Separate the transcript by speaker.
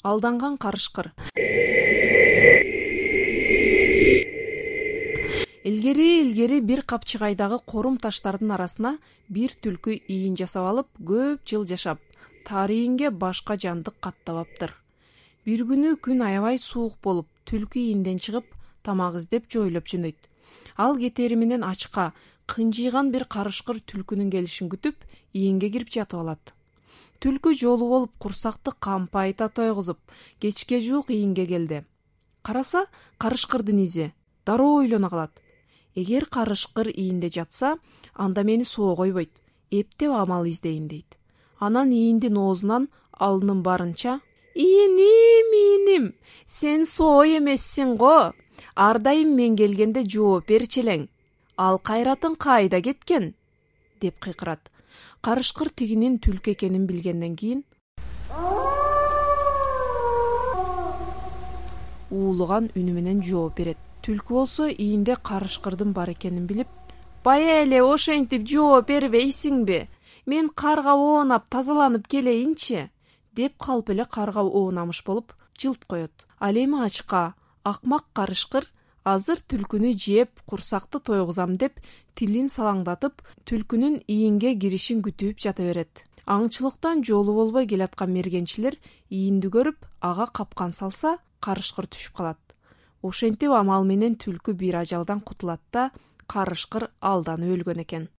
Speaker 1: Алданган карышкыр. Илгери бир капчыгайдагы корум таштардын арасына бир түлкү ийин жасап алып, көп жыл жашап, тарыйинге башка жандык каттабаптыр. Бир күнү күн аябай суук болуп, түлкү ийинден чыгып, тамак издеп жойлоп жөнөйт. Ал кетери менен ачка, кынжыйган бир карышкыр түлкүнүн келишин күтүп, ийинге кирип жатып алат. Түлкү жолу болуп курсакты кампайта тойгузуп, кечке жуук ийинге келди. Караса, карышкырдын изи. Дароо ойлоно калат. Эгер карышкыр ийинде жатса, анда мени соо койбойт. Эптеп амал издейин дейт. Анан ийиндин оозунан алынын барынча: "Ийиним, сен соо эмессиң го. Ар дайым мен келгенде жооп берчи элең. Ал кайратын кайда кеткен?" деп кыйкырат. Карышкыр тигинин түлкү экенин билгенден кийин уулуган үнү менен жооп берет. Түлкү болсо ийинде карышкырдын бар экенин билип: "Бая эле ошентип жооп бербейсиңби? Мен карга оонап тазаланып келейинчи?" деп калп эле карга оонамыш болуп жылт коет. Ал эми ачка, акмак карышкыр азыр түлкүнү жеп, курсакты тойгузам деп тилин салаңдатып, түлкүнүн ийинге киришин күтүп жата берет. Аңчылыктан жолу болбой келаткан мергенчилер ийинди көрүп, ага капкан салса, карышкыр түшүп калат. Ошентип амал менен түлкү бир ажалдан кутулат да, карышкыр алданып өлгөн экен.